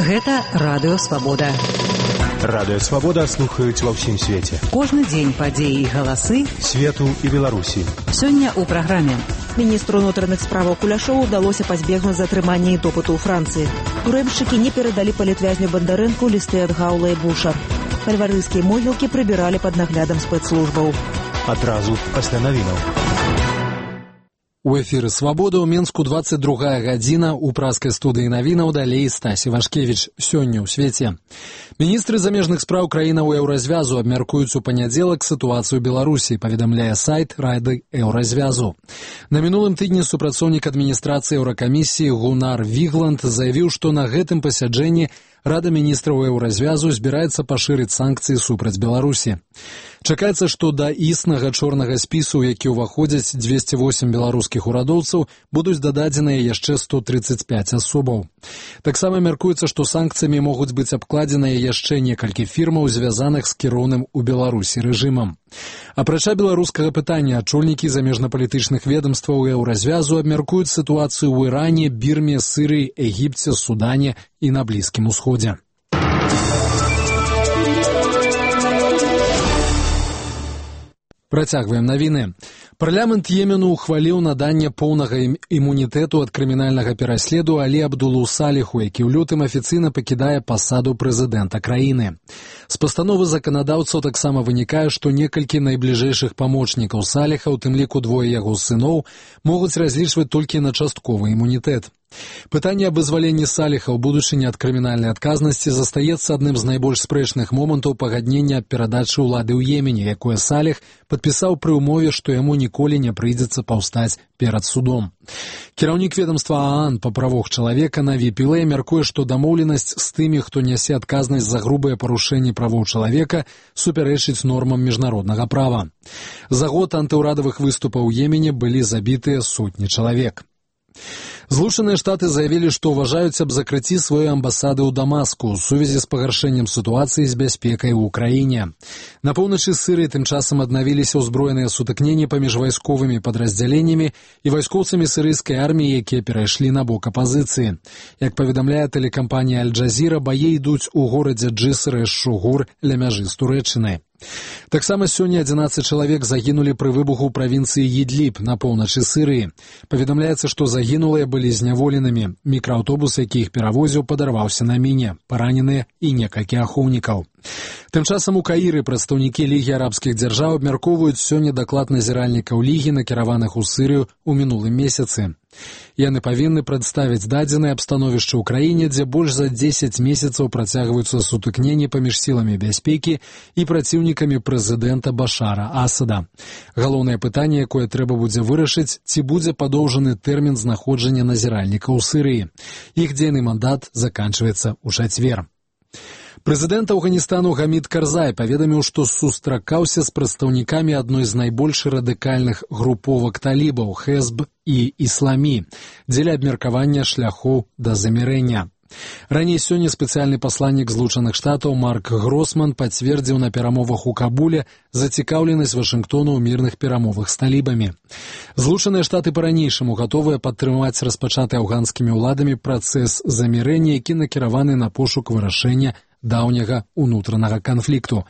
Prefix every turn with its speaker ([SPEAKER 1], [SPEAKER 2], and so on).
[SPEAKER 1] Гэта Радыё Свабода.
[SPEAKER 2] Радыё Свабода слухаюць ва ўсім свеце.
[SPEAKER 1] Кожны дзень падзеі і галасы
[SPEAKER 2] свету і Беларусі.
[SPEAKER 1] Сёння ў праграме.
[SPEAKER 3] Міністру ўнутраных справаў Куляшову ўдалося пазбегнуць затрымання і допыту ў Францыі. Турэмшчыкі не перадалі палітвязню Бандарэнку лісты ад Гаула і Буша. Фальварыйскія могілкі прыбіралі пад наглядам спецслужбаў.
[SPEAKER 2] Адразу пасля навінаў.
[SPEAKER 4] У эфіры «Свабода» ў Менску 22 гадзіна, у праскай студыі навінаў далей Стасі Вашкевіч. Сёння ў свеце. Міністры замежных спраў краінаў еўразвязу абмяркуюць у панядзелак сітуацыю Беларусі, паведамляе сайт Рады еўразвязу. На мінулым тыдні супрацоўнік адміністрацыі еўракамісіі Гунар Вігланд заявіў, што на гэтым пасяджэнні Рада міністраў еўразвязу збіраецца пашырыць санкцыі супраць Беларусі. Чакаецца, што да існага чорнага спісу, які ўваходзяць 208 беларускіх урадоўцаў, будуць дададзеныя яшчэ 135 асобаў. Таксама мяркуецца, што санкцыямі могуць быць абкладзеныя яшчэ некалькі фірмаў, звязаных з кіроўным у Беларусі рэжымам. Апрача беларускага пытання, ачольнікі замежнапалітычных ведамстваў еўразвязу абмяркуюць сітуацыю ў Іране, Бірме, Сірыі, Егіпце, Судане і на Блізкім Усходзе. Працягваем навіны. Парламент Йемену ухваліў наданне поўнага імунітэту ад крымінальнага пераследу Алі Абдулу Саліху, які ў лютым афіцыйна пакідае пасаду прэзідэнта краіны. З пастановы заканадаўцаў таксама вынікае, што некалькі найбліжэйшых памочнікаў Саліха, у тым ліку двое яго сыноў, могуць разлічваць толькі на частковы імунітэт. Пытанне аб вызваленні Саліха ў будучыні ад крымінальнай адказнасці застаецца адным з найбольш спрэчных момантаў пагаднення аб перадачы ўлады ў Йемене, якое Саліх падпісаў пры ўмове, што яму ніколі не прыйдзецца паўстаць перад судом. Кіраўнік ведамства ААН па правах чалавека Наві Пілэй мяркуе, што дамоўленасць з тымі, хто нясе адказнасць за грубыя парушэнні правоў чалавека, супярэчыць нормам міжнароднага права. За год антыўрадавых выступаў у Йемене былі забітыя сотні чалавек. Злучаныя Штаты заявілі, што ўважаюць аб закрыцці сваёй амбасады ў Дамаску ў сувязі з пагаршэннем сітуацыі з бяспекай у ўкраіне. На поўначы Сірыі тым часам аднавіліся ўзброеныя сутыкненні паміж вайсковымі падраздзяленнямі і вайскоўцамі сірыйскай арміі, якія перайшлі на бок апазіцыі. Як паведамляе тэлекампанія Аль-Джазіра, баі ідуць у горадзе Джыср эш-Шугур ля мяжы з Турэччынай. Таксама сёння 11 чалавек загінулі пры выбуху ў правінцыі Ідліб на поўначы Сірыі. Паведамляецца, што загінулыя былі зняволенымі. Мікрааўтобус, які іх перавозіў, падарваўся на міне. Параненыя і некалькі ахоўнікаў. Тым часам у Каіры прадстаўнікі Лігі арабскіх дзяржаў абмяркоўваюць сёння даклад назіральнікаў Лігі, накіраваных у Сірыю ў мінулым месяцы. Яны павінны прадставіць дадзеныя аб становішчы ў краіне, дзе больш за 10 месяцаў працягваюцца сутыкненні паміж сіламі бяспекі і праціўнікамі прэзідэнта Башара Асада. Галоўнае пытанне, якое трэба будзе вырашыць, ці будзе падоўжаны тэрмін знаходжання назіральнікаў у Сірыі. Іх дзейны мандат заканчваецца ў чацвер. Прэзідэнт Афганістану Гамід Карзай паведаміў, што сустракаўся з прадстаўнікамі адной з найбольш радыкальных груповак талібаў – Хезб і Ісламі, дзеля абмеркавання шляхоў да замірэння. Раней сёння спецыяльны пасланнік Злучаных Штатаў Марк Гросман пацвердзіў на перамовах у Кабуле зацікаўленасць Вашынгтону ў мірных перамовах з талібамі. Злучаныя Штаты па-ранейшаму гатовыя падтрымаць распачаты афганскімі ўладамі працэс замірэння, які накіраваны на пошук вырашэння даўняга ўнутранага канфлікту,